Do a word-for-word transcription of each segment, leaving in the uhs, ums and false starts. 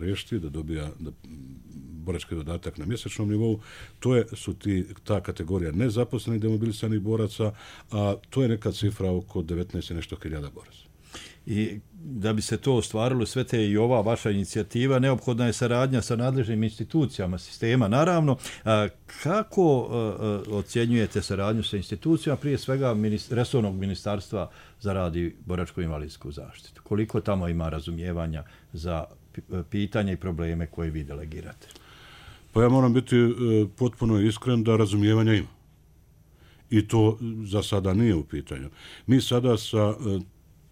riješiti, da dobija da, borački dodatak na mjesečnom nivou. To je, su ti, ta kategorija nezaposlenih demobilisanih boraca, a to je neka cifra oko devetnaest i nešto hiljada boraca. I da bi se to ostvarilo, sve te i ova vaša inicijativa, neophodna je saradnja sa nadležnim institucijama sistema. Naravno, a, kako a, a, ocjenjujete saradnju sa institucijama, prije svega minist, resornog ministarstva za rad i boračko-invalidsku zaštitu? Koliko tamo ima razumijevanja za pitanje i probleme koje vi delegirate? Pa ja moram biti e, potpuno iskren da razumijevanja ima. I to za sada nije u pitanju. Mi sada sa e,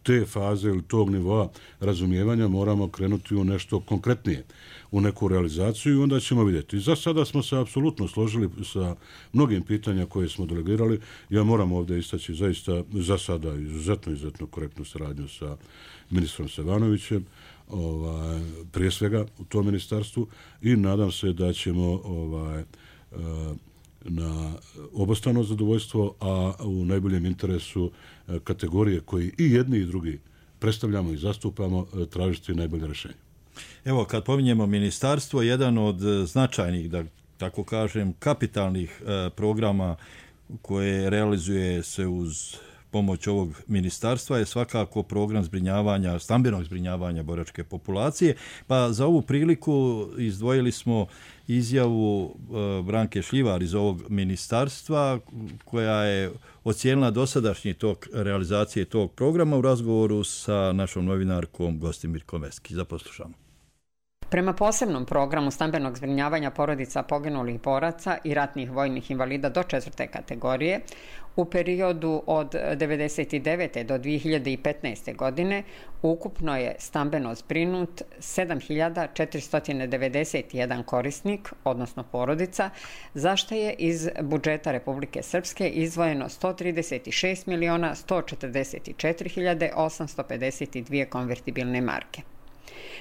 te faze ili tog nivoa razumijevanja moramo krenuti u nešto konkretnije, u neku realizaciju i onda ćemo vidjeti. Za sada smo se apsolutno složili sa mnogim pitanja koje smo delegirali. Ja moram ovdje istaći zaista za sada izuzetno, izuzetno korektnu saradnju sa ministrom Sevanovićem, ovaj, prije svega u tom ministarstvu i nadam se da ćemo ovaj, na obostrano zadovoljstvo, a u najboljem interesu kategorije koji i jedni i drugi predstavljamo i zastupamo, tražiti najbolje rješenje. Evo, kad pominjemo ministarstvo, jedan od značajnih, da tako kažem, kapitalnih eh, programa koje realizuje se uz pomoć ovog ministarstva je svakako program zbrinjavanja, stambenog zbrinjavanja boračke populacije. Pa za ovu priliku izdvojili smo izjavu e, Branke Šljivar iz ovog ministarstva koja je ocijenila dosadašnji tok realizacije tog programa u razgovoru sa našom novinarkom Gostimirkom Veski. Zaposlušamo. Prema posebnom programu stambenog zbrinjavanja porodica poginulih boraca i ratnih vojnih invalida do četvrte kategorije, u periodu od devedeset devete do dvije hiljade petnaeste. godine ukupno je stambeno zbrinut sedam hiljada četiristo devedeset jedan korisnik, odnosno porodica, za što je iz budžeta Republike Srpske izdvojeno sto trideset šest miliona sto četrdeset četiri hiljade osamsto pedeset dvije konvertibilne marke.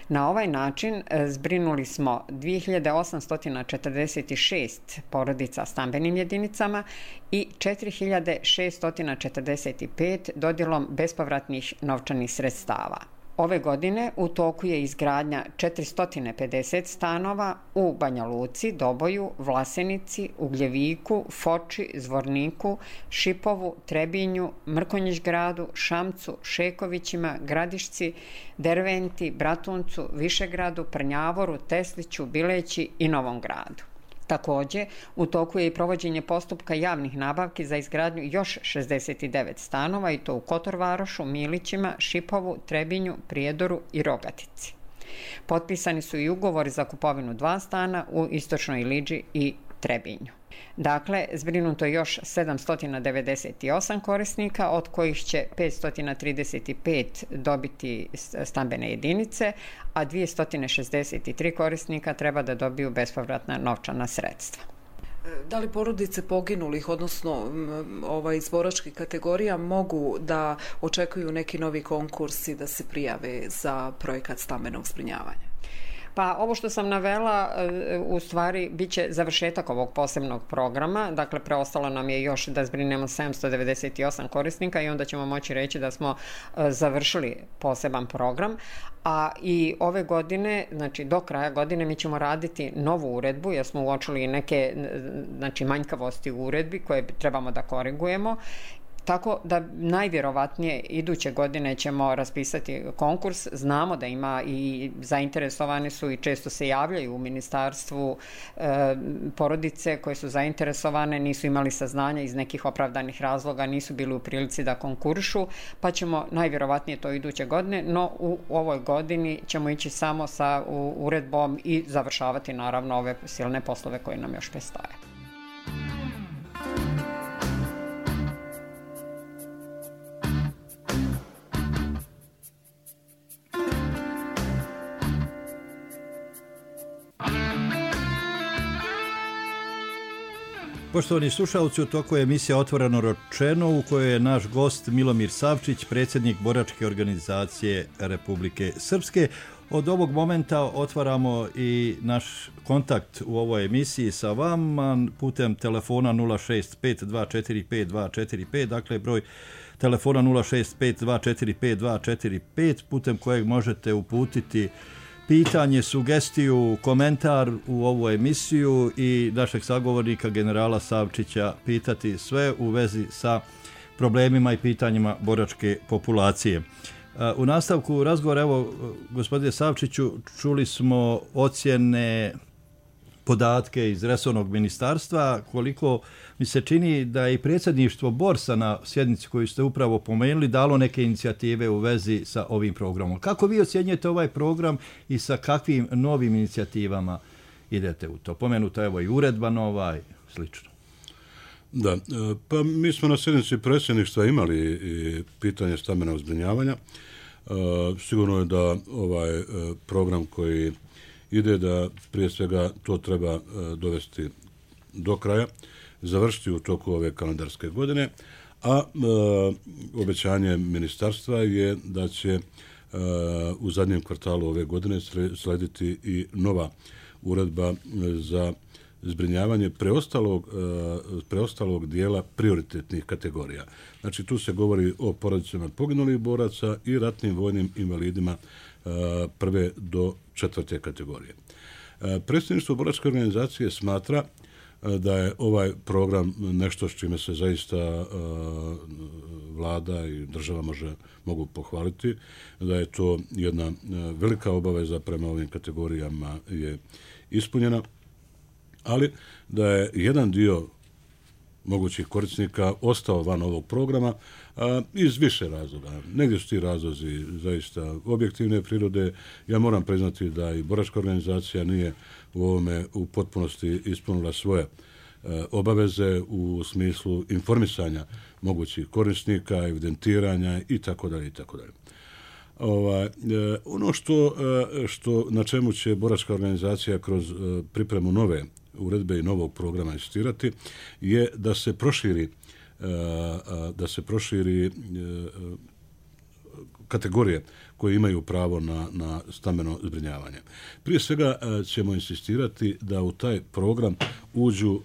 Na ovaj način zbrinuli smo dvije hiljade osamsto četrdeset šest porodica stambenim jedinicama i četiri hiljade šesto četrdeset pet dodjelom bespovratnih novčanih sredstava. Ove godine u toku je izgradnja četiristo pedeset stanova u Banja Luci, Doboju, Vlasenici, Ugljeviku, Foči, Zvorniku, Šipovu, Trebinju, Mrkonjić-gradu, Šamcu, Šekovićima, Gradišci, Derventi, Bratuncu, Višegradu, Prnjavoru, Tesliću, Bileći i Novom gradu. Također, u toku je i provođenje postupka javnih nabavki za izgradnju još šezdeset devet stanova i to u Kotorvarošu, Milićima, Šipovu, Trebinju, Prijedoru i Rogatici. Potpisani su i ugovori za kupovinu dva stana u Istočnoj Iliđi i Trebinju. Dakle, zbrinuto je još sedamsto devedeset osam korisnika, od kojih će petsto trideset pet dobiti stambene jedinice, a dvjesto šezdeset tri korisnika treba da dobiju bespovratna novčana sredstva. Da li porodice poginulih, odnosno ovaj, iz boračkih kategorija, mogu da očekuju neki novi konkursi da se prijave za projekat stambenog zbrinjavanja? Pa ovo što sam navela u stvari bit će završetak ovog posebnog programa, dakle preostalo nam je još da zbrinemo sedamsto devedeset osam korisnika i onda ćemo moći reći da smo završili poseban program, a i ove godine, znači do kraja godine mi ćemo raditi novu uredbu jer smo uočili neke znači, manjkavosti u uredbi koje trebamo da korigujemo. Tako da najvjerovatnije iduće godine ćemo raspisati konkurs. Znamo da ima i zainteresovani su i često se javljaju u ministarstvu e, porodice koje su zainteresovane, nisu imali saznanja iz nekih opravdanih razloga, nisu bili u prilici da konkurišu, pa ćemo najvjerovatnije to iduće godine, no u ovoj godini ćemo ići samo sa uredbom i završavati naravno ove silne poslove koje nam još predstoje. Poštovani slušalci, u toku je emisija Otvoreno rečeno u kojoj je naš gost Milomir Savčić, predsjednik boračke organizacije Republike Srpske. Od ovog momenta otvaramo i naš kontakt u ovoj emisiji sa vama putem telefona nula šest pet dva četiri pet dva četiri pet, dakle broj telefona nula šest pet dva četiri pet dva četiri pet putem kojeg možete uputiti pitanje, sugestiju, komentar u ovu emisiju i našeg sagovornika generala Savčića pitati sve u vezi sa problemima i pitanjima boračke populacije. U nastavku razgovora, evo, gospodine Savčiću, čuli smo ocjene, podatke iz resornog ministarstva, koliko mi se čini da je i predsjedništvo Borsa na sjednici koju ste upravo pomenuli dalo neke inicijative u vezi sa ovim programom. Kako vi ocjenjujete ovaj program i sa kakvim novim inicijativama idete u to? Pomenuta evo i uredba nova i slično. Da, pa mi smo na sjednici predsjedništva imali i pitanje stambenog zbrinjavanja. Sigurno je da ovaj program koji ide da prije svega to treba dovesti do kraja, završiti u toku ove kalendarske godine, a e, obećanje ministarstva je da će e, u zadnjem kvartalu ove godine slediti i nova uredba za zbrinjavanje preostalog, e, preostalog dijela prioritetnih kategorija. Znači tu se govori o porodicama poginulih boraca i ratnim vojnim invalidima e, prve do četvrte kategorije. E, Predsjedništvo boračke organizacije smatra da je ovaj program nešto s čime se zaista uh, vlada i država može, mogu pohvaliti, da je to jedna uh, velika obaveza prema ovim kategorijama je ispunjena, ali da je jedan dio mogućih korisnika ostao van ovog programa a, iz više razloga. Negdje su ti razlozi zaista objektivne prirode. Ja moram priznati da i boračka organizacija nije u ovome u potpunosti ispunila svoje e, obaveze u smislu informisanja mogućih korisnika, evidentiranja i tako dalje i tako dalje. Ovaj, e, ono što, e, što na čemu će boračka organizacija kroz e, pripremu nove uredbe i novog programa insistirati je da se proširi da se proširi kategorije koje imaju pravo na, na stambeno zbrinjavanje. Prije svega ćemo insistirati da u taj program uđu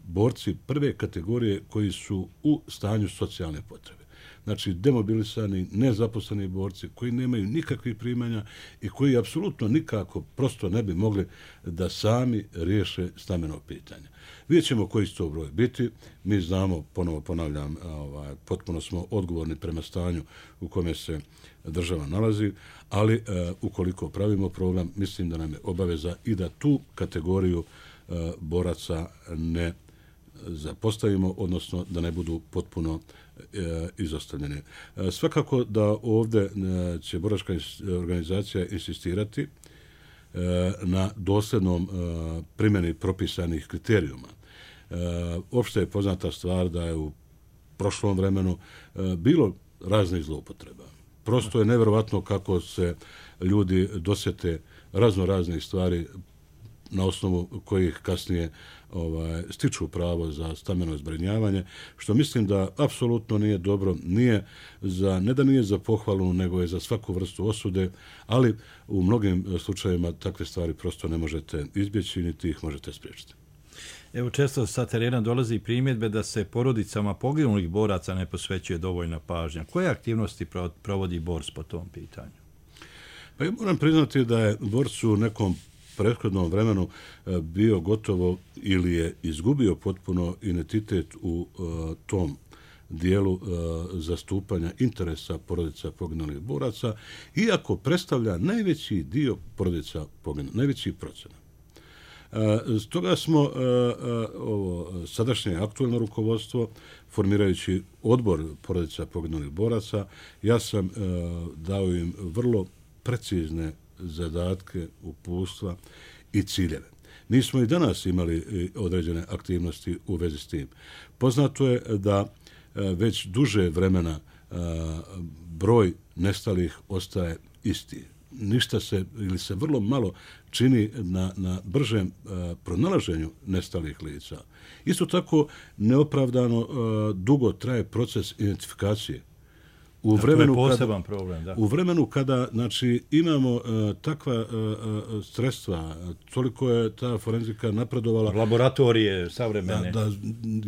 borci prve kategorije koji su u stanju socijalne potrebe. Znači, demobilisani, nezaposleni borci koji nemaju nikakvih primanja i koji apsolutno nikako prosto ne bi mogli da sami riješe stambeno pitanje. Vidjet ćemo koji će to broj biti. Mi znamo, ponovo ponavljam, ovaj, potpuno smo odgovorni prema stanju u kome se država nalazi, ali e, ukoliko pravimo program, mislim da nam je obaveza i da tu kategoriju e, boraca ne zapostavimo, odnosno da ne budu potpuno e, izostavljeni. E, svakako da ovdje e, će boračka organizacija insistirati e, na dosljednom e, primjeni propisanih kriterijuma. E, opšte je poznata stvar da je u prošlom vremenu e, bilo raznih zloupotreba. Prosto je nevjerovatno kako se ljudi dosjete razno raznih stvari na osnovu kojih kasnije ovaj, stiču pravo za stambeno zbrinjavanje, što mislim da apsolutno nije dobro, nije za, ne da nije za pohvalu, nego je za svaku vrstu osude, ali u mnogim slučajevima takve stvari prosto ne možete izbjeći, niti ih možete spriječiti. Evo, često sa terena dolazi primjedbe da se porodicama poginulih boraca ne posvećuje dovoljna pažnja. Koje aktivnosti provodi Bors po tom pitanju? Pa ja moram priznati da je Bors u nekom prethodnom vremenu bio gotovo ili je izgubio potpuno identitet u uh, tom dijelu uh, zastupanja interesa porodica poginulih boraca, iako predstavlja najveći dio porodica poginulih, najveći procenat. Uh, stoga smo uh, uh, ovo sadašnje aktualno rukovodstvo, formirajući odbor porodica poginulih boraca, ja sam uh, dao im vrlo precizne zadatke, uputstva i ciljeve. Mi smo i danas imali određene aktivnosti u vezi s tim. Poznato je da već duže vremena broj nestalih ostaje isti. Ništa se ili se vrlo malo čini na, na bržem pronalaženju nestalih lica. Isto tako neopravdano dugo traje proces identifikacije U vremenu, to je poseban kada, problem, da. U vremenu kada znači, imamo uh, takva uh, uh, sredstva, toliko je ta forenzika napredovala. Laboratorije savremene. Da, da,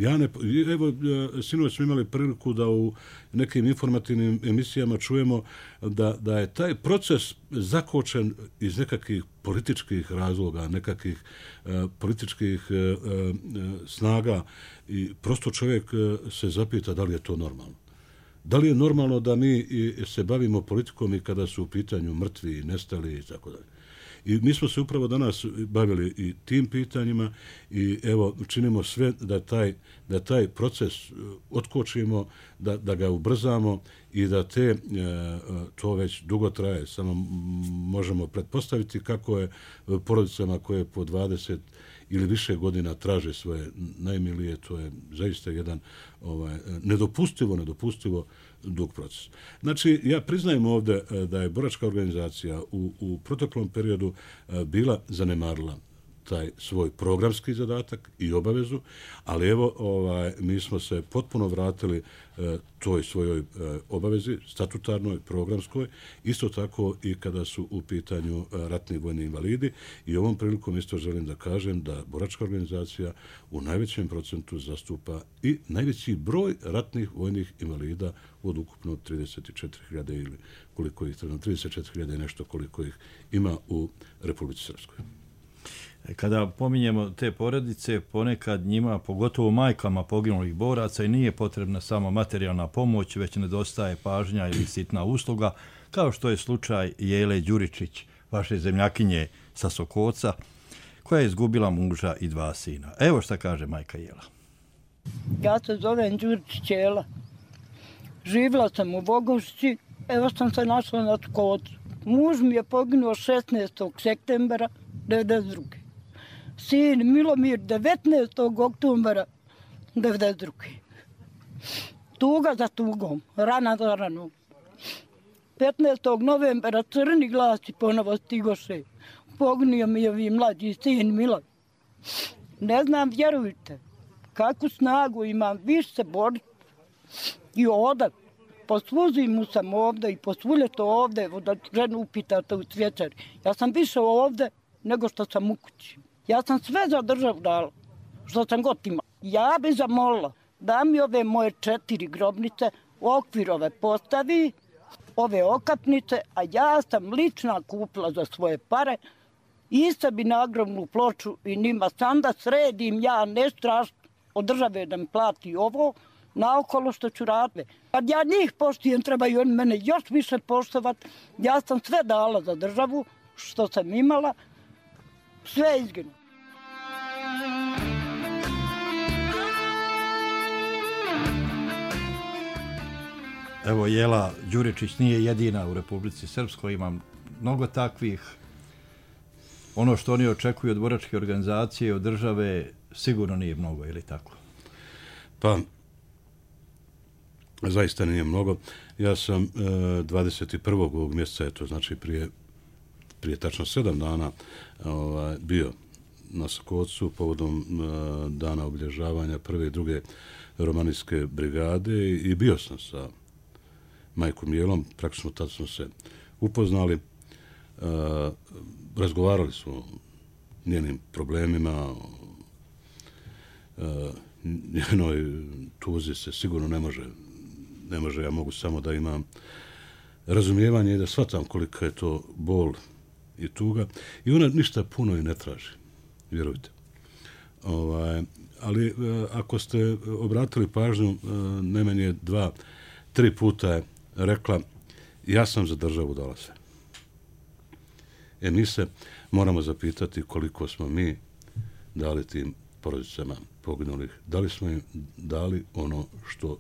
ja ne, evo, sinoć smo imali priliku da u nekim informativnim emisijama čujemo da, da je taj proces zakočen iz nekakvih političkih razloga, nekakvih uh, političkih uh, uh, snaga i prosto čovjek uh, se zapita da li je to normalno. Da li je normalno da mi se bavimo politikom i kada su u pitanju mrtvi, nestali i tako dalje. I mi smo se upravo danas bavili i tim pitanjima i evo činimo sve da taj, da taj proces otkočimo, da, da ga ubrzamo i da te, to već dugo traje, samo možemo pretpostaviti kako je porodicama koje po dvadeset ili više godina traže svoje najmilije, to je zaista jedan ovaj, nedopustivo, nedopustivo dug proces. Znači, ja priznajem ovdje da je boračka organizacija u, u proteklom periodu bila zanemarila taj svoj programski zadatak i obavezu, ali evo ovaj, mi smo se potpuno vratili e, toj svojoj e, obavezi, statutarnoj, programskoj, isto tako i kada su u pitanju e, ratni vojni invalidi i ovom prilikom isto želim da kažem da boračka organizacija u najvećem procentu zastupa i najveći broj ratnih vojnih invalida od ukupno trideset četiri hiljade ili koliko ih treba, trideset četiri hiljade i nešto koliko ih ima u Republici Srpskoj. Kada pominjemo te porodice, ponekad njima, pogotovo majkama poginulih boraca, i nije potrebna samo materijalna pomoć, već nedostaje pažnja ili sitna usluga, kao što je slučaj Jele Đuričić, vaše zemljakinje sa Sokoca, koja je izgubila muža i dva sina. Evo šta kaže majka Jela. Ja se zovem Đuričić Jela. Živjela sam u Bogošći, evo sam se našla na Sokocu. Muž mi je poginuo šesnaestog septembra devedeset druge Sin Milomir devetnaestog oktobra devedeset druge Tuga za tugom, rana za ranom. petnaestog novembra crni glasi ponovo stigoše. Poginio mi je ovi mlađi sin Milo. Ne znam, vjerujte, kakvu snagu imam, više se boriti. I odav. Po svu zimu sam ovdje i po svu ljeto ovdje, da ženu upitate u Cvjećari. Ja sam više ovdje nego što sam u kući. Ja sam sve za državu dala, što sam god imala. Ja bi zamolila da mi ove moje četiri grobnice u okvir ove postavi, ove okapnice, a ja sam lična kupila za svoje pare i sebi nagrobnu ploču i njima sam da sredim, ja ne strašno od države da mi plati ovo, naokolo što ću raditi. Kad ja njih poštijem, trebaju oni mene još više poštovati. Ja sam sve dala za državu što sam imala, sve izginu. Evo, Jela Đuričić nije jedina u Republici Srpskoj, imam mnogo takvih. Ono što oni očekuju od boračke organizacije, od države, sigurno nije mnogo, ili tako? Pa, zaista nije mnogo. Ja sam e, dvadeset prvog ovog mjeseca, eto, znači prije, prije tačno sedam dana, ovaj, bio na Sokocu povodom e, dana obilježavanja prve i druge romanijske brigade i bio sam sa majkom Jelom, praktično tad smo se upoznali, e, razgovarali smo o njenim problemima, e, njenoj tuzi se sigurno ne može, ne može, ja mogu samo da imam razumijevanje i da shvatam kolika je to bol i tuga. I ona ništa puno i ne traži, vjerujte. Ovaj, ali ako ste obratili pažnju, najmanje dva, tri puta je rekla ja sam za državu dala sve. E mi se moramo zapitati koliko smo mi dali tim porodicama poginulih, da li smo im dali ono što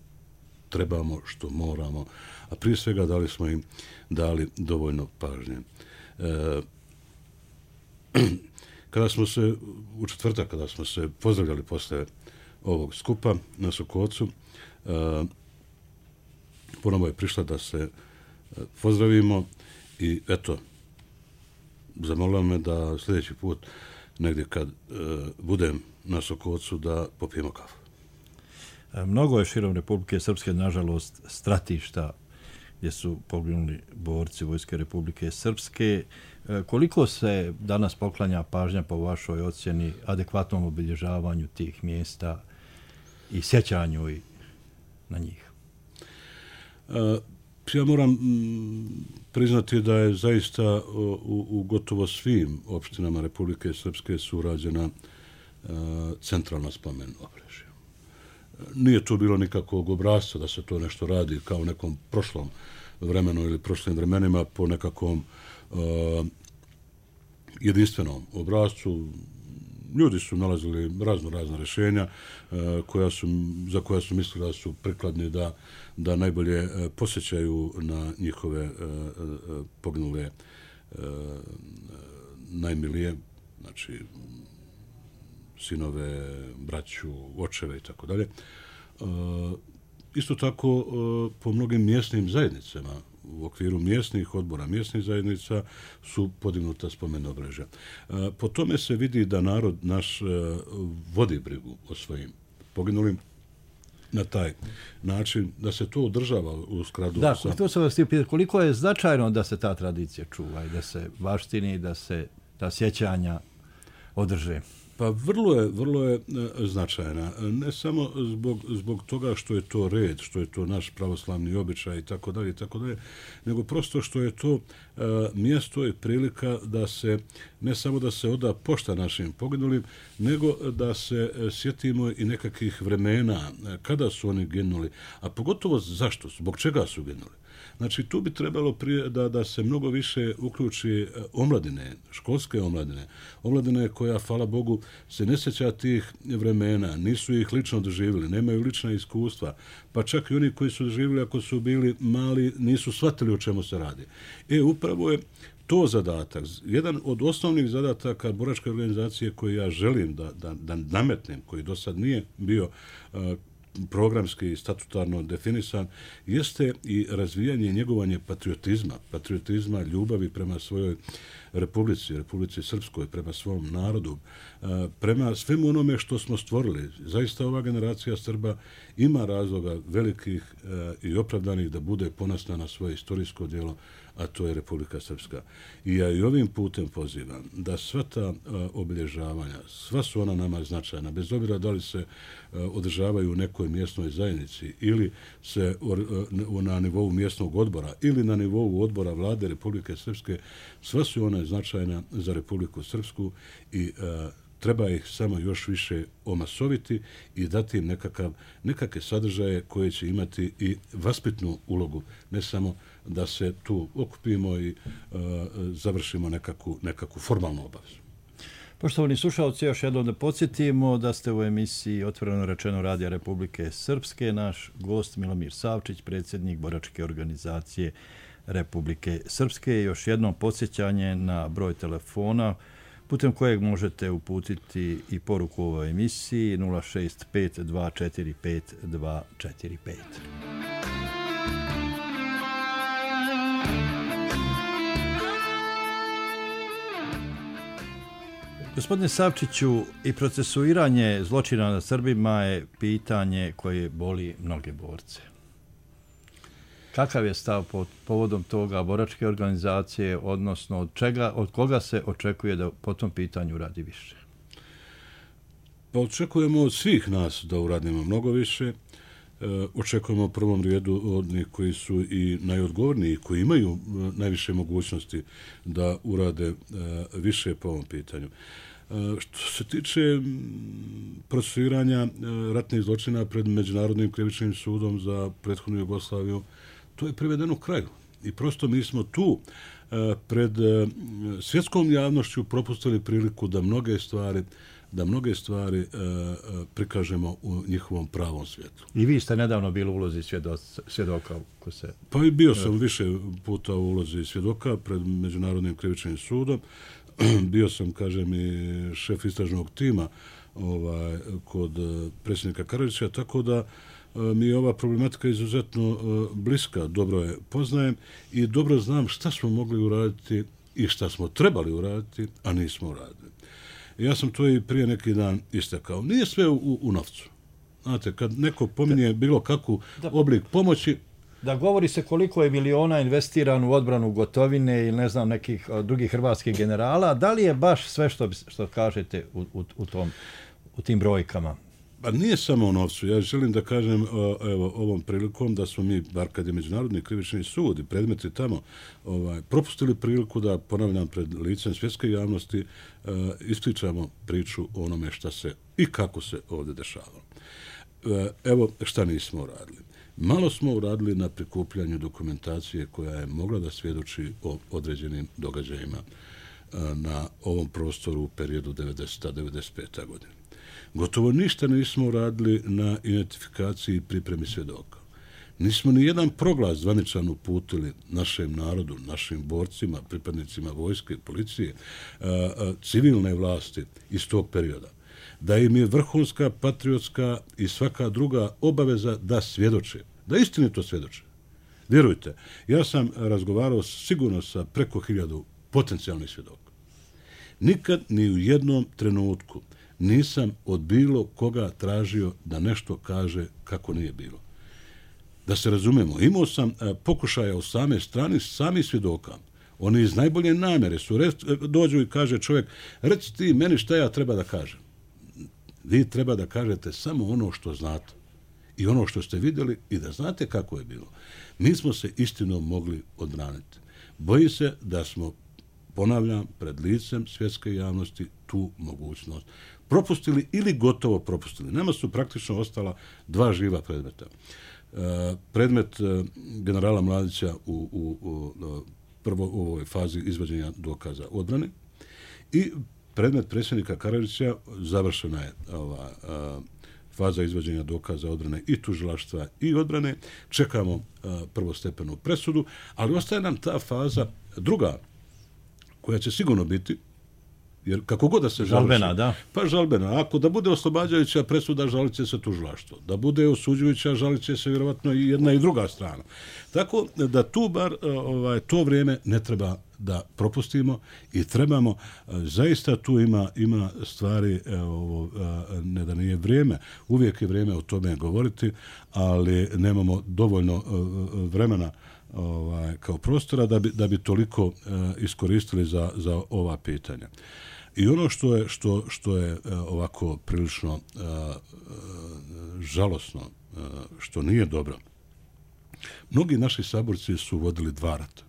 trebamo, što moramo, a prije svega da li smo im dali dovoljno pažnje. E, kada smo se, u četvrtak, kada smo se pozdravljali posle ovog skupa na Sokocu, e, ponovo je prišla da se pozdravimo i eto, zamolila me da sljedeći put negdje kad e, budem na Sokocu da popijemo kafu. Mnogo je širom Republike Srpske, nažalost, stratišta gdje su poginuli borci Vojske Republike Srpske. Koliko se danas poklanja pažnja po vašoj ocjeni adekvatnom obilježavanju tih mjesta i sjećanju i na njih? Ja moram priznati da je zaista u, u gotovo svim opštinama Republike Srpske su urađena centralna spomen obeležja. Nije to bilo nikakvog obrasca da se to nešto radi kao u nekom prošlom vremenu ili prošlim vremenima po nekakvom uh, jedinstvenom obrascu. Ljudi su nalazili razno razna rješenja uh, koja su, za koja su mislili da su prikladni da, da najbolje uh, posjećaju na njihove uh, uh, poginule uh, najmilije, znači sinove, braću, očeve i tako dalje. Isto tako po mnogim mjesnim zajednicama u okviru mjesnih odbora, mjesnih zajednica su podignuta spomen obeležja. Po tome se vidi da narod naš vodi brigu o svojim poginulim na taj način, da se to održava u skladu da, sa... Da, to sam vas htio pitati, koliko je značajno da se ta tradicija čuva i da se baštini, da se ta sjećanja održe? Pa vrlo je, vrlo je značajna. Ne samo zbog, zbog toga što je to red, što je to naš pravoslavni običaj i tako dalje, i tako dalje, nego prosto što je to uh, mjesto i prilika da se, ne samo da se oda pošta našim poginulim, nego da se sjetimo i nekakvih vremena kada su oni ginuli, a pogotovo zašto, zbog čega su ginuli. Znači, tu bi trebalo prije da, da se mnogo više uključi omladine, školske omladine, omladine koja, hvala Bogu, se ne sjeća tih vremena, nisu ih lično doživjeli, nemaju lična iskustva, pa čak i oni koji su doživjeli, ako su bili mali, nisu shvatili o čemu se radi. E, upravo je to zadatak. Jedan od osnovnih zadataka boračke organizacije koji ja želim da, da, da nametnem, koji do sad nije bio uh, programski i statutarno definisan, jeste i razvijanje i njegovanje patriotizma, patriotizma, ljubavi prema svojoj Republici, Republici Srpskoj, prema svom narodu, prema svemu onome što smo stvorili. Zaista ova generacija Srba ima razloga velikih i opravdanih da bude ponosna na svoje istorijsko djelo, a to je Republika Srpska. I ja i ovim putem pozivam da sva ta obilježavanja, sva su ona nama značajna, bez obzira da li se održavaju u nekoj mjesnoj zajednici ili se na nivou mjesnog odbora ili na nivou odbora vlade Republike Srpske, sva su ona značajna za Republiku Srpsku i treba ih samo još više omasoviti i dati im nekakav, nekakve sadržaje koje će imati i vaspitnu ulogu, ne samo da se tu okupimo i uh, završimo nekakvu, nekakvu formalnu obavezu. Poštovani slušalci, još jednom da podsjetimo da ste u emisiji Otvoreno rečeno Radija Republike Srpske. Naš gost Milomir Savčić, predsjednik boračke organizacije Republike Srpske. Još jednom podsjećanje na broj telefona putem kojeg možete uputiti i poruku u ovoj emisiji nula šest pet dva četiri pet dva četiri pet. Gospodine Savčiću, i procesuiranje zločina nad Srbima je pitanje koje boli mnoge borce. Kakav je stav pod povodom toga boračke organizacije, odnosno od, čega, od koga se očekuje da po tom pitanju radi više? Pa očekujemo od svih nas da uradimo mnogo više. E, očekujemo u prvom redu od njih koji su i najodgovorniji, koji imaju e, najviše mogućnosti da urade e, više po ovom pitanju. E, što se tiče procesuiranja e, ratnih zločina pred Međunarodnim krivičnim sudom za prethodnu Jugoslaviju, to je privedeno kraju. I prosto mi smo tu e, pred e, svjetskom javnošću propustili priliku da mnoge stvari da mnoge stvari e, prikažemo u njihovom pravom svijetu. I vi ste nedavno bili u ulozi svjedoka? Ko se... Pa i bio sam više puta u ulozi svjedoka pred Međunarodnim krivičnim sudom. Bio sam, kažem, i šef istražnog tima ovaj, kod predsjednika Karadžića, tako da mi je ova problematika izuzetno bliska, dobro je poznajem i dobro znam šta smo mogli uraditi i šta smo trebali uraditi, a nismo uradili. Ja sam to i prije neki dan istakao. Nije sve u, u novcu. Znate, kad neko pominje bilo kakvu oblik pomoći, Da govori se koliko je miliona investirano u odbranu Gotovine ili ne znam nekih drugih hrvatskih generala, da li je baš sve što, što kažete u, u, u, tom, u tim brojkama? Pa nije samo o novcu. Ja želim da kažem evo, ovom prilikom da smo mi, bar kad je Međunarodni krivični sud i predmeti tamo, ovaj, propustili priliku da, ponavljam, pred licem svjetske javnosti uh, ispričamo priču o onome šta se i kako se ovdje dešavalo. Uh, evo šta nismo uradili. Malo smo uradili na prikupljanju dokumentacije koja je mogla da svjedoči o određenim događajima uh, na ovom prostoru u periodu devedeseta do devedeset pete. godine. Gotovo ništa nismo uradili na identifikaciji i pripremi svjedoka. Nismo ni jedan proglas zvaničan uputili našem narodu, našim borcima, pripadnicima vojske, policije, civilne vlasti iz tog perioda. Da im je vrhunska, patriotska i svaka druga obaveza da svjedoče, da istinito svjedoče. Vjerujte, ja sam razgovarao sigurno sa preko hiljadu potencijalnih svjedoka. Nikad ni u jednom trenutku nisam od bilo koga tražio da nešto kaže kako nije bilo. Da se razumemo, imao sam pokušaja u same strani sami svjedoka. Oni iz najbolje namjere su, dođu i kaže čovjek, reci ti meni šta ja treba da kažem. Vi treba da kažete samo ono što znate i ono što ste vidjeli i da znate kako je bilo. Mi smo se istinom mogli odbraniti. Bojim se da smo, ponavljam, pred licem svjetske javnosti tu mogućnost propustili ili gotovo propustili. Nama su praktično ostala dva živa predmeta. E, predmet e, generala Mladića u, u, u prvo u ovoj fazi izvođenja dokaza odbrane i predmet predsjednika Karađorđevića, završena je ova a, faza izvođenja dokaza odbrane i tužilaštva i odbrane. Čekamo a, prvostepenu presudu, ali ostaje nam ta faza druga, koja će sigurno biti, jer kako god da se žalbena, završi, da. Pa žalbena. Ako da bude oslobađajuća presuda, žalit će se tužilaštvo. Da bude osuđujuća, žalit će se vjerovatno i jedna i druga strana. Tako da tu bar ovaj, to vrijeme ne treba da propustimo i trebamo, zaista tu ima, ima stvari, ovo, ne da nije vrijeme, uvijek je vrijeme o tome govoriti, ali nemamo dovoljno vremena ovaj, kao prostora da bi, da bi toliko uh, iskoristili za, za ova pitanja. I ono što je, što, što je uh, ovako prilično uh, uh, žalosno, uh, što nije dobro, mnogi naši saborci su vodili dva rata.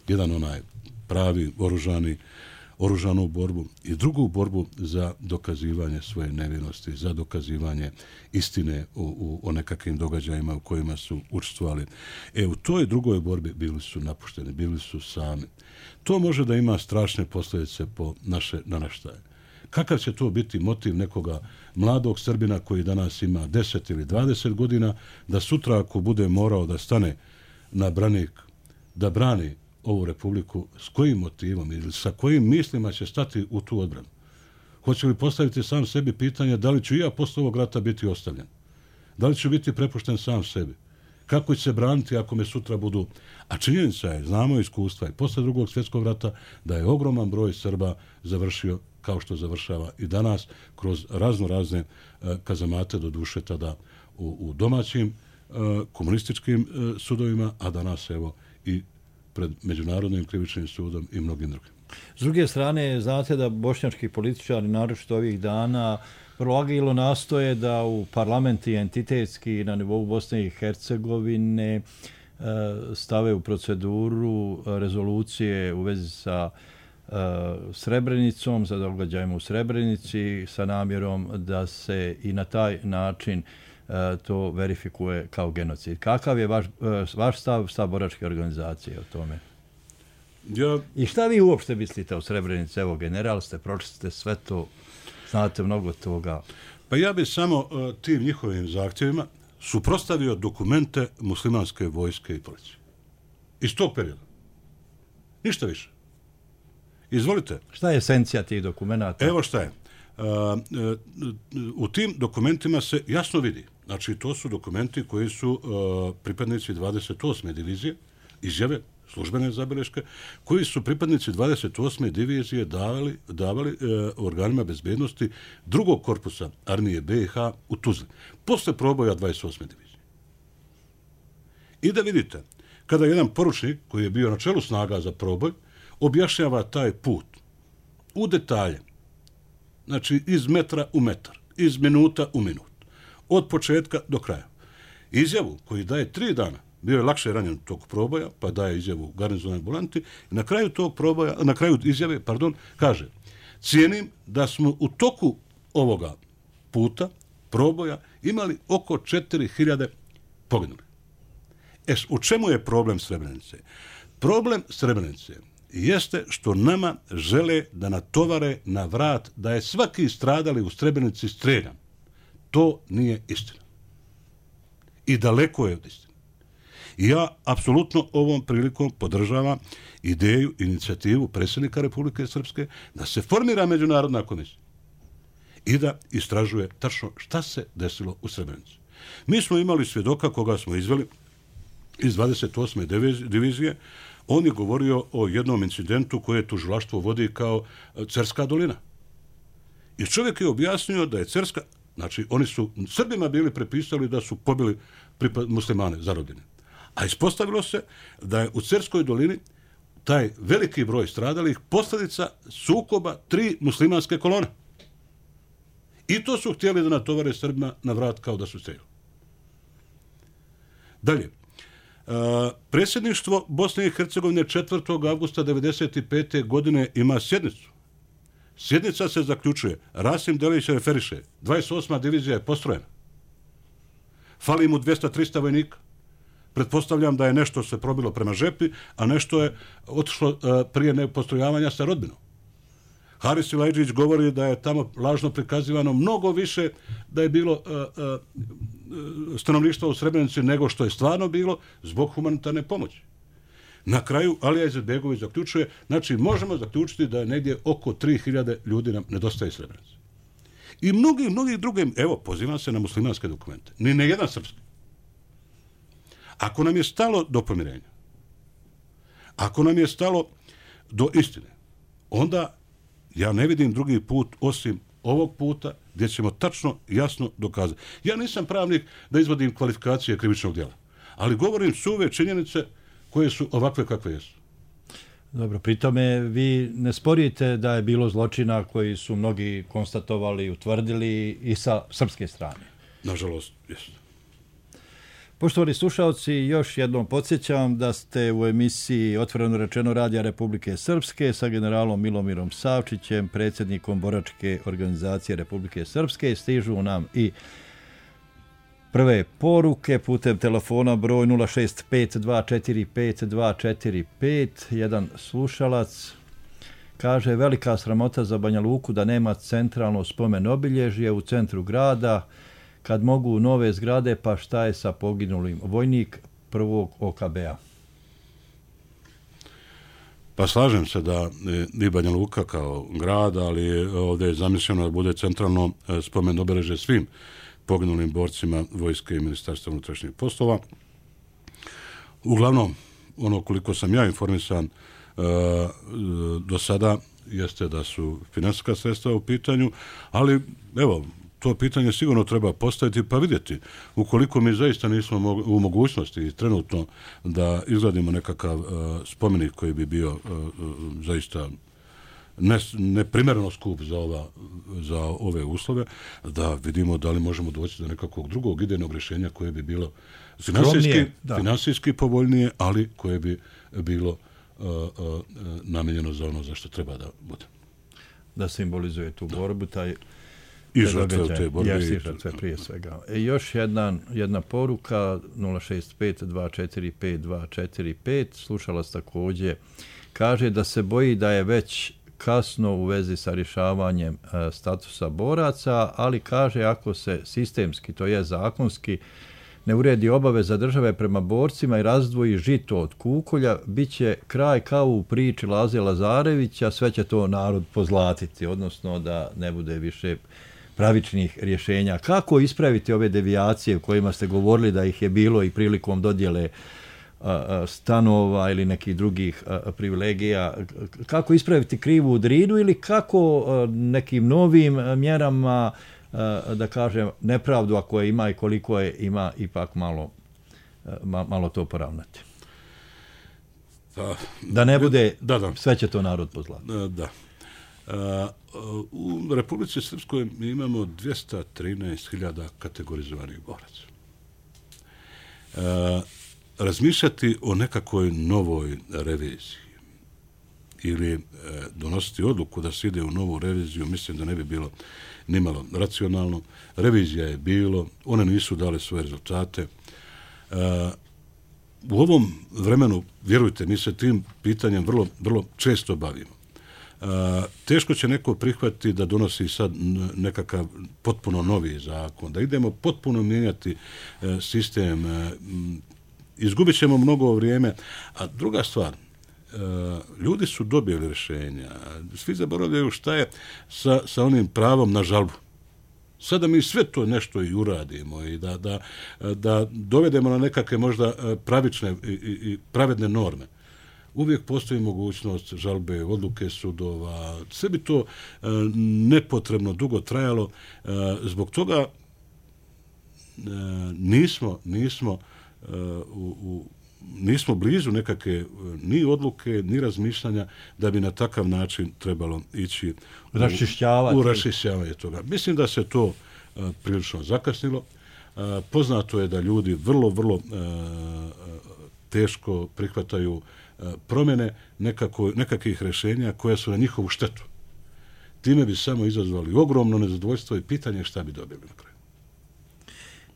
Jedan onaj pravi, oružani, oružanu borbu i drugu borbu za dokazivanje svoje nevinosti, za dokazivanje istine o, o, o nekakvim događajima u kojima su učestvovali. E, u toj drugoj borbi bili su napušteni, bili su sami. To može da ima strašne posljedice po naše naraštaje. Kakav će to biti motiv nekoga mladog Srbina koji danas ima deset ili dvadeset godina, da sutra ako bude morao da stane na branik, da brani ovu republiku, s kojim motivom ili sa kojim mislima će stati u tu odbranu? Hoće li postaviti sam sebi pitanje da li ću ja posle ovog rata biti ostavljen? Da li ću biti prepušten sam sebi? Kako će se braniti ako me sutra budu... A činjenica je, znamo iskustva i posle drugog svjetskog rata, da je ogroman broj Srba završio kao što završava i danas kroz razno razne uh, kazamate, do duše tada u, u domaćim uh, komunističkim uh, sudovima, a danas evo i pred Međunarodnim krivičnim sudom i mnogim drugim. S druge strane, znate da bošnjački političari, naročito ovih dana, vrlo agilno nastoje da u parlamenti entitetski na nivou Bosne i Hercegovine stave u proceduru rezolucije u vezi sa Srebrenicom, sa događajima u Srebrenici, sa namjerom da se i na taj način to verifikuje kao genocid. Kakav je vaš, vaš stav, stav boračke organizacije o tome? Ja... I šta vi uopšte mislite o Srebrenici? Evo, general ste, pročiste sve to, znate mnogo toga. Pa ja bih samo uh, tim njihovim zahtjevima suprotstavio dokumente muslimanske vojske i policije. Iz tog perioda. Ništa više. Izvolite. Šta je esencija tih dokumenta? Evo šta je. Uh, uh, u tim dokumentima se jasno vidi. Znači, to su dokumenti koji su uh, pripadnici dvadeset osme divizije, izjave, službene zabeleške, koji su pripadnici dvadeset osme divizije davali, davali uh, organima bezbednosti drugog korpusa armije B i H u Tuzli. Posle proboja dvadeset osme divizije. I da vidite, kada jedan poručnik koji je bio na čelu snaga za proboj, objašnjava taj put u detalje, znači iz metra u metar, iz minuta u minut, od početka do kraja. Izjavu koji daje tri dana, bio je lakše ranjen tog proboja, pa daje izjavu u garnizonoj ambulanti, i na kraju tog proboja, na kraju izjave, pardon, kaže: cijenim da smo u toku ovoga puta, proboja, imali oko četiri hiljade poginuli. E, u čemu je problem Srebrenice? Problem Srebrenice jeste što nama žele da natovare na vrat da je svaki stradali u Srebrenici streljan. To nije istina. I daleko je od istine. I ja apsolutno ovom prilikom podržavam ideju, inicijativu predsjednika Republike Srpske da se formira međunarodna komisija i da istražuje tačno šta se desilo u Srebrenici. Mi smo imali svjedoka koga smo izveli iz dvadeset osme divizije. On je govorio o jednom incidentu koje tužilaštvo vodi kao Cerska dolina. I čovjek je objasnio da je Cerska, znači oni su Srbima bili prepisali da su pobili muslimane zarobljene. A ispostavilo se da je u Cerskoj dolini taj veliki broj stradalih posljedica sukoba tri muslimanske kolone. I to su htjeli da natovare Srbima na vrat kao da su streljali. Dalje. Uh, predsjedništvo Bosne i Hercegovine četvrtog avgusta devedeset pete godine ima sjednicu. Sjednica se zaključuje. Rasim Delić referiše. dvadeset osma divizija je postrojena. Fali mu dvjesto do trista vojnika. Pretpostavljam da je nešto se probilo prema žepi, a nešto je otišlo uh, prije nepostrojavanja sa rodbinom. Haris Ilajđić govori da je tamo lažno prikazivano mnogo više da je bilo uh, uh, stanovništva u Srebrenici nego što je stvarno bilo zbog humanitarne pomoći. Na kraju Alija Izetbegović zaključuje, znači možemo zaključiti da je negdje oko tri hiljade ljudi nam nedostaje Srebrenici. I mnogi, mnogi druge, evo, pozivam se na muslimanske dokumente, ni ne jedan srpski. Ako nam je stalo do pomirenja, ako nam je stalo do istine, onda ja ne vidim drugi put osim ovog puta gdje ćemo tačno jasno dokazati. Ja nisam pravnik da izvodim kvalifikacije krivičnog djela, ali govorim suve činjenice koje su ovakve kakve jesu. Dobro, pritome vi ne sporite da je bilo zločina koji su mnogi konstatovali i utvrdili i sa srpske strane. Nažalost, jesu. Poštovani slušalci, još jednom podsjećam da ste u emisiji Otvoreno rečeno Radija Republike Srpske sa generalom Milomirom Savčićem, predsjednikom Boračke organizacije Republike Srpske. Stižu nam i prve poruke putem telefona broj nula šest pet dva četiri pet dva četiri pet. Jedan slušalac kaže: velika sramota za Banja Luku da nema centralno spomen obilježje u centru grada, kad mogu nove zgrade, pa šta je sa poginulim? Vojnik prvog O K B-a. Pa slažem se da i Banja Luka kao grad, ali ovdje je zamišljeno da bude centralno spomen obeležje svim poginulim borcima vojske i ministarstva unutrašnjih poslova. Uglavnom, ono koliko sam ja informisan do sada jeste da su financijska sredstva u pitanju, ali evo, to pitanje sigurno treba postaviti pa vidjeti. Ukoliko mi zaista nismo u mogućnosti trenutno da izgradimo nekakav uh, spomenik koji bi bio uh, zaista neprimjereno skup za, ova, za ove uslove, da vidimo da li možemo doći do nekakvog drugog idejnog rješenja koje bi bilo finansijski, finansijski povoljnije, ali koje bi bilo uh, uh, namijenjeno za ono za što treba da bude. Da simbolizuje tu borbu, taj i žrtve u te borbe. Jesi žrtve prije svega. E, još jedan, jedna poruka nula šest pet dva četiri pet dva četiri pet. Slušalac također kaže da se boji da je već kasno u vezi sa rješavanjem e, statusa boraca, ali kaže ako se sistemski, to je zakonski, ne uredi obaveza države prema borcima i razdvoji žito od kukolja, bit će kraj kao u priči Laze Lazarevića, sve će to narod pozlatiti, odnosno da ne bude više pravičnih rješenja. Kako ispraviti ove devijacije o kojima ste govorili da ih je bilo i prilikom dodjele a, stanova ili nekih drugih a, privilegija? Kako ispraviti krivu drinu ili kako a, nekim novim mjerama, a, da kažem, nepravdu ako je ima i koliko je ima ipak malo malo to poravnati. Pa, da ne bude, da, da. Sve će to narod pozlati. Da. U Republici Srpskoj mi imamo dvjesto trinaest hiljada kategorizovanih boraca. Razmišljati o nekakvoj novoj reviziji ili donositi odluku da se ide u novu reviziju, mislim da ne bi bilo nimalo racionalno. Revizija je bilo, one nisu dale svoje rezultate. U ovom vremenu, vjerujte, mi se tim pitanjem vrlo, vrlo često bavimo. Teško će neko prihvatiti da donosi sad nekakav potpuno novi zakon, da idemo potpuno mijenjati sistem, izgubit ćemo mnogo vrijeme. A druga stvar, ljudi su dobili rješenja, svi zaboravljaju šta je sa, sa onim pravom na žalbu. Sada mi sve to nešto i uradimo i da, da, da dovedemo na nekakve možda pravične i, i pravedne norme. Uvijek postoji mogućnost žalbe, odluke sudova, sve bi to nepotrebno dugo trajalo. Zbog toga nismo, nismo, u, u, nismo blizu nekakve ni odluke, ni razmišljanja da bi na takav način trebalo ići raščišćavati. U, u raščišćavanje toga. Mislim da se to prilično zakasnilo. Poznato je da ljudi vrlo, vrlo teško prihvataju promjene nekako, nekakvih rješenja koja su na njihovu štetu. Time bi samo izazvali ogromno nezadovoljstvo i pitanje šta bi dobili na kraju.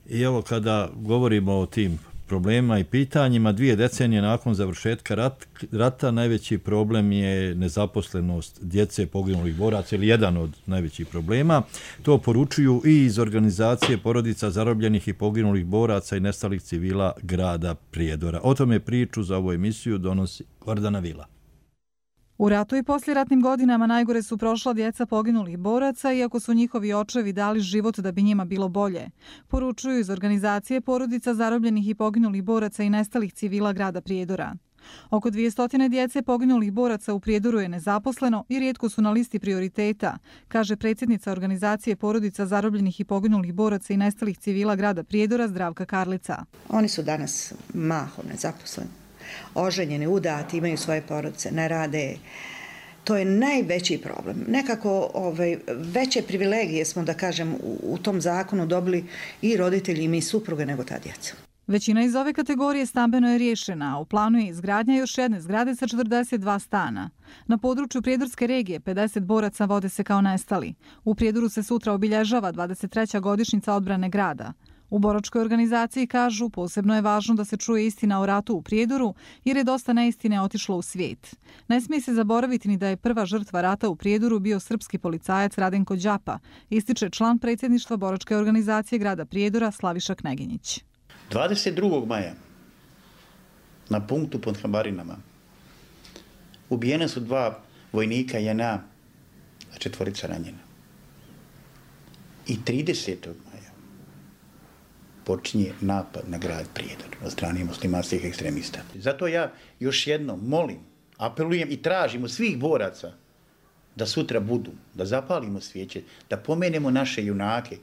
I evo kada govorimo o tim problema i pitanjima, dvije decenije nakon završetka rat, rata najveći problem je nezaposlenost djece poginulih boraca ili jedan od najvećih problema. To poručuju i iz organizacije porodica zarobljenih i poginulih boraca i nestalih civila grada Prijedora. O tome priču za ovu emisiju donosi Gordana Vila. U ratu i posljeratnim godinama najgore su prošla djeca poginulih boraca, iako su njihovi očevi dali život da bi njima bilo bolje. Poručuju iz organizacije porodica zarobljenih i poginulih boraca i nestalih civila grada Prijedora. Oko dvjesto djece poginulih boraca u Prijedoru je nezaposleno i rijetko su na listi prioriteta, kaže predsjednica organizacije porodica zarobljenih i poginulih boraca i nestalih civila grada Prijedora Zdravka Karlica. Oni su danas mahom nezaposleni. Oženjeni, udati, imaju svoje porodice, ne rade. To je najveći problem. Nekako ovaj, veće privilegije smo, da kažem, u, u tom zakonu dobili i roditelji i mi supruge nego ta djeca. Većina iz ove kategorije stambeno je riješena, a u planu je izgradnja još jedne zgrade sa četrdeset dva stana. Na području Prijedorske regije pedeset boraca vode se kao nestali. U Prijedoru se sutra obilježava dvadeset treća godišnjica odbrane grada. U boračkoj organizaciji kažu posebno je važno da se čuje istina o ratu u Prijedoru jer je dosta neistine otišlo u svijet. Ne smije se zaboraviti ni da je prva žrtva rata u Prijedoru bio srpski policajac Radenko Đapa, ističe član predsjedništva boračke organizacije grada Prijedora Slaviša Kneginjić. dvadeset drugog maja na punktu pod Habarinama ubijene su dva vojnika J N A, a četvorica ranjena. I tridesetog maja počinje napad na grad Prijedor od strane muslimanskih ekstremista. Zato ja još jednom molim, apelujem i tražim od svih boraca da sutra budu, da zapalimo svijeće, da pomenemo naše junake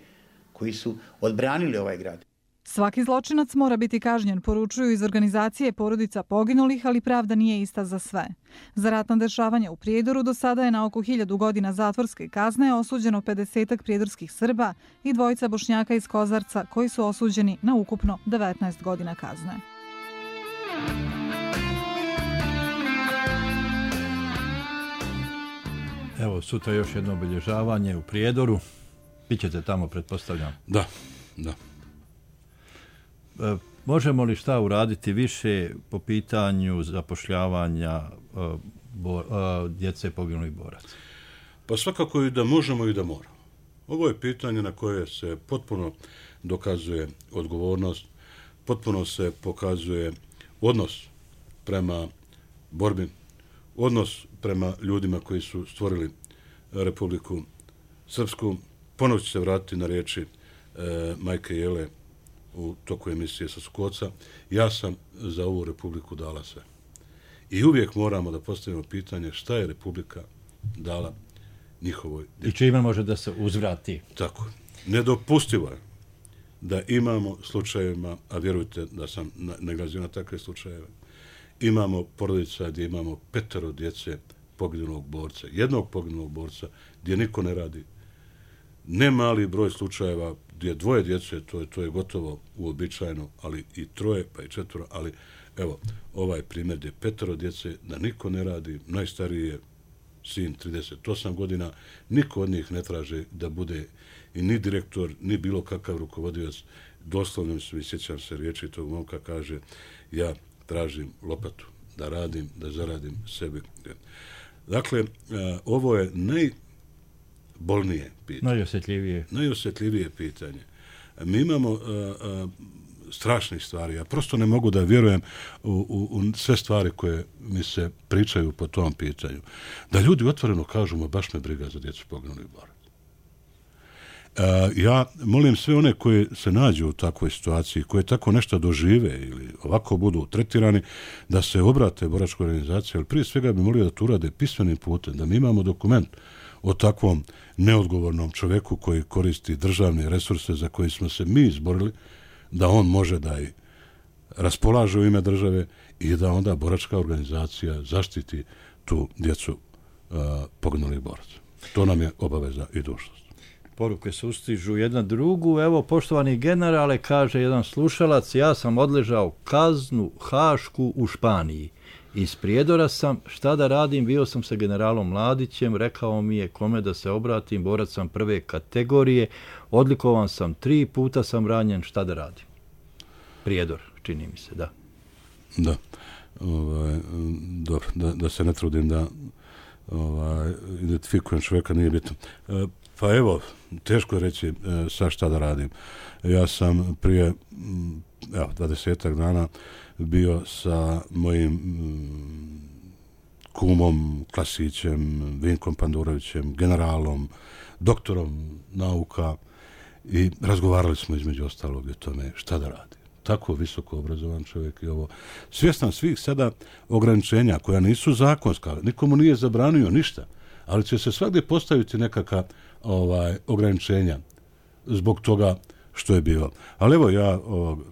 koji su odbranili ovaj grad. Svaki zločinac mora biti kažnjen, poručuju iz organizacije porodica poginulih, ali pravda nije ista za sve. Za ratna dešavanja u Prijedoru do sada je na oko hiljadu godina zatvorske kazne osuđeno pedesetak prijedorskih Srba i dvojica Bošnjaka iz Kozarca koji su osuđeni na ukupno devetnaest godina kazne. Evo, sutra još jedno obilježavanje u Prijedoru. Bićete tamo, pretpostavljam. Da, da. Možemo li šta uraditi više po pitanju zapošljavanja uh, bo, uh, djece poginulih boraca? Pa svakako i da možemo i da moramo. Ovo je pitanje na koje se potpuno dokazuje odgovornost, potpuno se pokazuje odnos prema borbi, odnos prema ljudima koji su stvorili Republiku Srpsku. Ponovno ću se vratiti na riječi e, majke Jele u toku emisije sa Sukoca. Ja sam za ovu Republiku dala sve. I uvijek moramo da postavimo pitanje šta je Republika dala njihovoj djeci. I čime može da se uzvrati. Tako. Nedopustivo je da imamo slučajevima, a vjerujte da sam nailazio na takve slučajeve, imamo porodica gdje imamo petero djece poginulog borca, jednog poginulog borca gdje niko ne radi. Ne mali broj slučajeva gdje dvoje djece, to je, to je gotovo uobičajeno, ali i troje, pa i četvoro, ali evo, ovaj primjer gdje petero djece, da niko ne radi, najstariji je sin trideset osam godina, niko od njih ne traže da bude i ni direktor, ni bilo kakav rukovodioc. Doslovno se sjećam se riječi tog momka, kaže, ja tražim lopatu, da radim, da zaradim sebi. Dakle, ovo je najbolnije pitanje. Najosjetljivije. Najosjetljivije pitanje. Mi imamo strašnih stvari. Ja prosto ne mogu da vjerujem u, u, u sve stvari koje mi se pričaju po tom pitanju. Da ljudi otvoreno kažu, ma baš me briga za djecu poginulih boraca. Ja molim sve one koji se nađu u takvoj situaciji, koje tako nešto dožive ili ovako budu tretirani, da se obrate boračkoj organizaciji, ali prije svega bi molio da to urade pismenim putem, da mi imamo dokument o takvom neodgovornom čoveku koji koristi državne resurse za koje smo se mi izborili, da on može da i raspolaže u ime države i da onda boračka organizacija zaštiti tu djecu uh, poginulih boraca. To nam je obaveza i dužnost. Poruke se ustižu jedna drugu. Evo, poštovani generale, kaže jedan slušalac, ja sam odležao kaznu hašku u Španiji. Iz Prijedora sam, šta da radim, bio sam sa generalom Mladićem, rekao mi je kome da se obratim, borac sam prve kategorije, odlikovan sam tri puta, sam ranjen, šta da radim? Prijedor, čini mi se, da. Da, ovaj, dobro, da, da se ne trudim da ovaj, identifikujem čovjeka, nije bitno. E, pa evo, teško je reći e, sa šta da radim. Ja sam prije evo, dvadesetak dana bio sa mojim mm, kumom, Klasićem, Vinkom Pandurovićem, generalom, doktorom nauka i razgovarali smo između ostalog o tome šta da radi. Tako visoko obrazovan čovjek i ovo. Svjestan svih sada ograničenja koja nisu zakonska, nikomu nije zabranio ništa, ali će se svakdje postaviti nekakva ovaj, ograničenja zbog toga što je bilo. Ali evo ja ovog,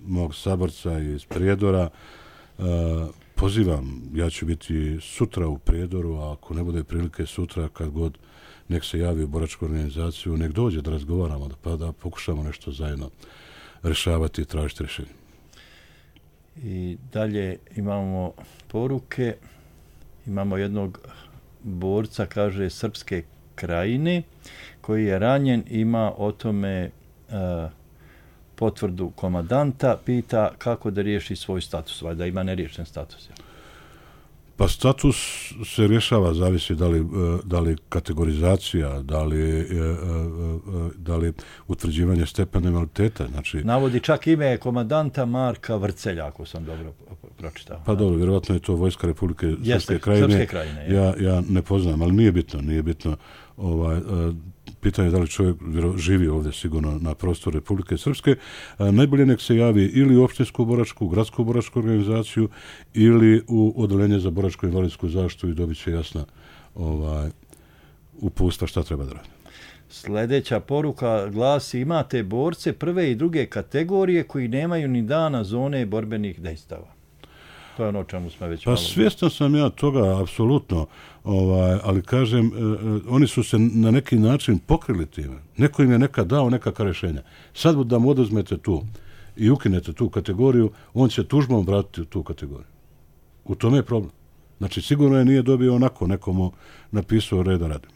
mog saborca iz Prijedora uh, pozivam, ja ću biti sutra u Prijedoru, a ako ne bude prilike sutra, kad god nek se javi u boračku organizaciju, nek dođe da razgovaramo, da, pa da pokušamo nešto zajedno rešavati i tražiti rješenje. I dalje imamo poruke, imamo jednog borca, kaže, Srpske Krajine, koji je ranjen, ima o tome uh, potvrdu komandanta, pita kako da riješi svoj status, da ima neriješen status. Ja. Pa status se rješava, zavisi da li, da li kategorizacija, da li, da li utvrđivanje stepena invaliditeta. Znači, navodi čak ime komandanta Marka Vrcelja, ako sam dobro pročitao. Pa dobro, vjerovatno je to Vojska Republike Srpske Krajine. Srpske Krajine ja, ja ne poznam, ali nije bitno, nije bitno. Ovaj, pitanje je da li čovjek živi ovdje sigurno na prostoru Republike Srpske. Najbolje nek se javi ili u opštinsku boračku, gradsku boračku organizaciju ili u odeljenje za boračku invalidsku zaštitu i dobit će jasna ovaj, upustva šta treba da radi. Sljedeća poruka glasi, imate borce prve i druge kategorije koji nemaju ni dana zone borbenih dejstava. To je ono čemu smo već pa malo... svjestan sam ja toga, apsolutno, ovaj, ali kažem, eh, oni su se na neki način pokrili time. Neko im je nekad dao nekakva rješenja. Sad da mu oduzmete tu i ukinete tu kategoriju, on će tužbom vratiti tu kategoriju. U tome je problem. Znači, sigurno je nije dobio onako, nekomu napisao reda radim.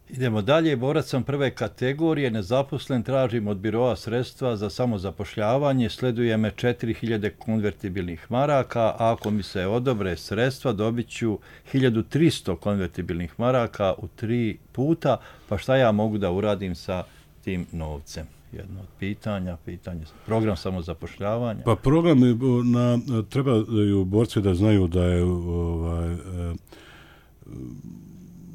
Idemo dalje, borac sam prve kategorije, nezaposlen, tražim od biroa sredstva za samozapošljavanje, sleduje me četiri hiljade konvertibilnih maraka, a ako mi se odobre sredstva, dobit ću hiljadu tristo konvertibilnih maraka u tri puta, pa šta ja mogu da uradim sa tim novcem? Jedno od pitanja, pitanje, program samozapošljavanja. Pa program na, trebaju borci da znaju da je ovaj, eh,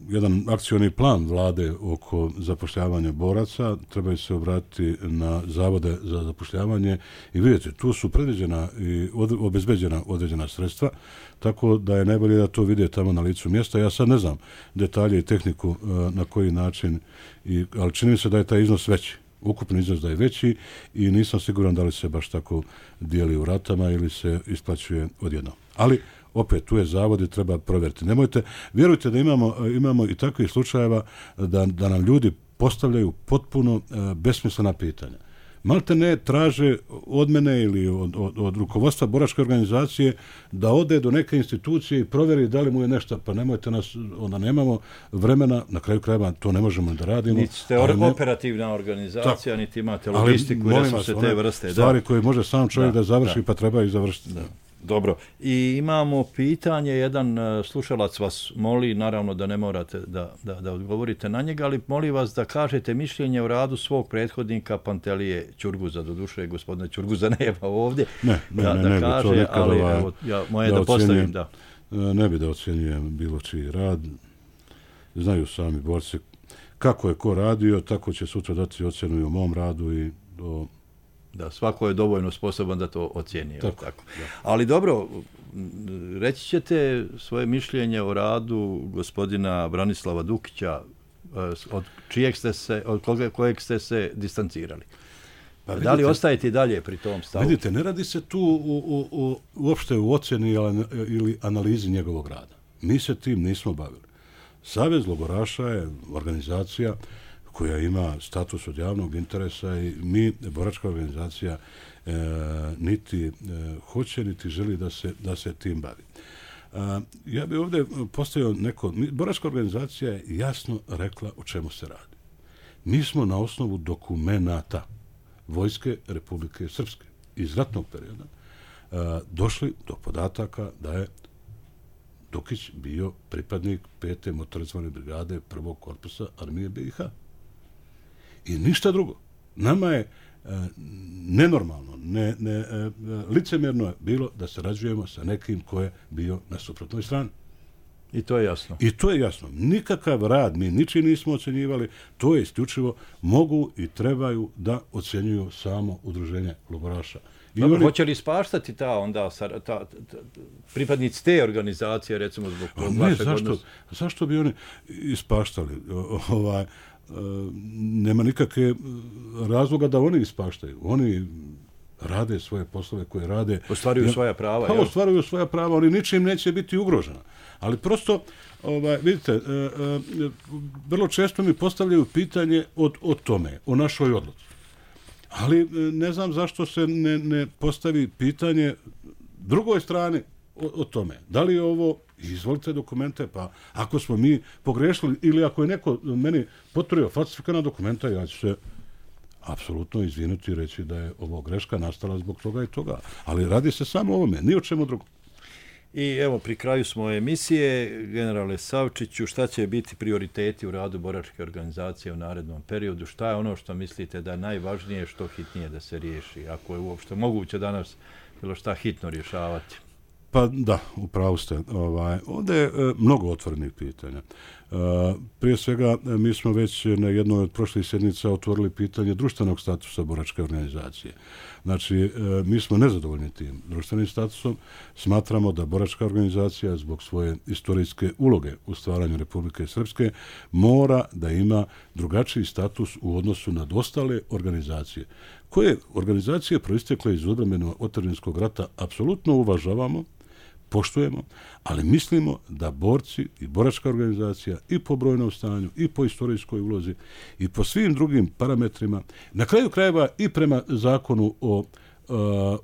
jedan akcioni plan vlade oko zapošljavanja boraca, trebaju se obratiti na zavode za zapošljavanje i vidjeti, tu su predviđena i od, obezbeđena određena sredstva, tako da je najbolje da to vide tamo na licu mjesta. Ja sad ne znam detalje i tehniku na koji način, i, ali čini mi se da je taj iznos veći. Ukupni iznos da je veći i nisam siguran da li se baš tako dijeli u ratama ili se isplaćuje odjednom. Ali opet, tu je zavod i treba provjeriti. Nemojte, vjerujte da imamo, imamo i takvih slučajeva da, da nam ljudi postavljaju potpuno uh, besmislena pitanja. Malte ne traže od mene ili od, od, od rukovodstva boračke organizacije da ode do neke institucije i provjeri da li mu je nešto, pa nemojte nas, onda nemamo vremena, na kraju krajeva to ne možemo da radimo. Niti ste or- ne, operativna organizacija, tako, niti imate logistiku i resurse te vrste. Stvari da. koje može sam čovjek da, da završi, da. pa treba i završiti. Da. Dobro. I imamo pitanje, jedan uh, slušalac vas moli, naravno da ne morate da, da, da odgovorite na njega, ali moli vas da kažete mišljenje o radu svog prethodnika Pantelije Ćurguza, do duše gospodina Ćurguza nema ovdje. Ne, ne, da, ne, da ne, kaže, to nikada, ali ovaj, evo, ja, moje da, da postavim, da. Ne bi da ocjenjujem bilo čiji rad. Znaju sami borci kako je ko radio, tako će sutra dati ocjenu i o mom radu i o... Da, svako je dovoljno sposoban da to ocijeni. Tako, tako. Ali dobro, reći ćete svoje mišljenje o radu gospodina Branislava Dukića, od čijeg ste se, od koga, kojeg ste se distancirali. Pa vidite, da li ostajete i dalje pri tom stavu? Vidite, ne radi se tu u, u, u, uopšte u ocjeni ili analizi njegovog rada. Mi se tim nismo bavili. Savez logoraša je organizacija koja ima status od javnog interesa i mi, boračka organizacija, e, niti e, hoće, niti želi da se, da se tim bavi. E, ja bih ovdje postavio neko... Boračka organizacija je jasno rekla o čemu se radi. Mi smo na osnovu dokumenata Vojske Republike Srpske iz ratnog perioda e, došli do podataka da je Dukić bio pripadnik pete motorizovane brigade prvog korpusa armije B i H. I ništa drugo. Nama je e, nenormalno, ne, ne, e, licemjerno je bilo da sarađujemo sa nekim ko je bio na suprotnoj strani. I to je jasno. I to je jasno. Nikakav rad mi ničiji nismo ocjenjivali, to je isključivo mogu i trebaju da ocjenjuju samo udruženje logoraša. I Dobro, oni... hoće li ispaštati ta onda ta, ta, ta, ta, pripadnici te organizacije, recimo zbog tog ne, vašeg zašto, odnosa? Zašto bi oni ispaštali? O, ovaj, nema nikakve razloga da oni ispaštaju. Oni rade svoje poslove koje rade. Ostvaruju ja, svoja prava. Pa, ostvaruju svoja prava, oni ničim neće biti ugrožena. Ali prosto, ovaj, vidite, e, e, vrlo često mi postavljaju pitanje od, od tome, o našoj odluci. Ali ne znam zašto se ne, ne postavi pitanje drugoj strani o, o tome. Da li je ovo, izvolite dokumente, pa ako smo mi pogrešili ili ako je neko meni potvrdio falsifikana dokumenta, ja ću se apsolutno izvinuti i reći da je ovo greška nastala zbog toga i toga. Ali radi se samo o ovome, ni o čemu drugom. I evo, pri kraju smo emisije, generale Savčiću, šta će biti prioriteti u radu boračke organizacije u narednom periodu? Šta je ono što mislite da je najvažnije, što hitnije da se riješi? Ako je uopšte moguće danas bilo šta hitno rješavati? Pa da, upravo ste. Ovaj, ovdje je e, mnogo otvorenih pitanja. E, prije svega, mi smo već na jednoj od prošlih sjednica otvorili pitanje društvenog statusa boračke organizacije. Znači, e, mi smo nezadovoljni tim društvenim statusom. Smatramo da boračka organizacija zbog svoje istorijske uloge u stvaranju Republike Srpske mora da ima drugačiji status u odnosu na ostale organizacije. Koje organizacije proistekle iz odbrambenog otadžbinskog rata apsolutno uvažavamo, poštujemo, ali mislimo da borci i boračka organizacija i po brojnom stanju, i po istorijskoj ulozi, i po svim drugim parametrima, na kraju krajeva i prema zakonu o uh,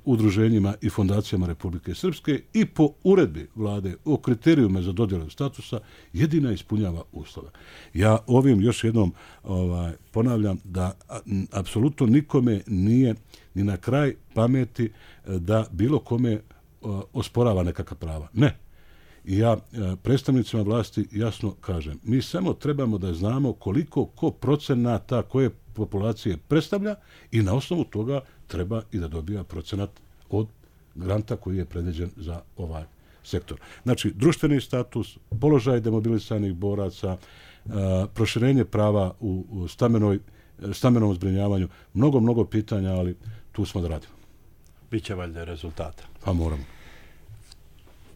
udruženjima i fondacijama Republike Srpske i po uredbi vlade o kriterijuma za dodjelu statusa, jedina ispunjava uslove. Ja ovim još jednom ovaj, ponavljam da a, n, apsolutno nikome nije ni na kraj pameti da bilo kome osporava nekakva prava. Ne. I ja predstavnicima vlasti jasno kažem, mi samo trebamo da znamo koliko ko procenata koje populacije predstavlja i na osnovu toga treba i da dobija procenat od granta koji je predviđen za ovaj sektor. Znači, društveni status, položaj demobilisanih boraca, proširenje prava u stambenoj, stambenom zbrinjavanju, mnogo, mnogo pitanja, ali tu smo da radimo. Biće valjda rezultata. Pa moramo.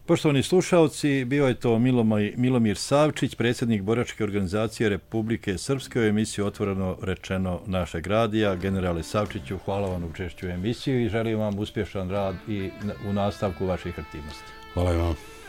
Poštovani slušalci, bio je to Milomir, Milomir Savčić, predsjednik Boračke organizacije Republike Srpske u emisiji Otvoreno rečeno našeg radija. Generale Savčiću, hvala vam na učešću u emisiju i želim vam uspješan rad i u nastavku vaših aktivnosti. Hvala vam.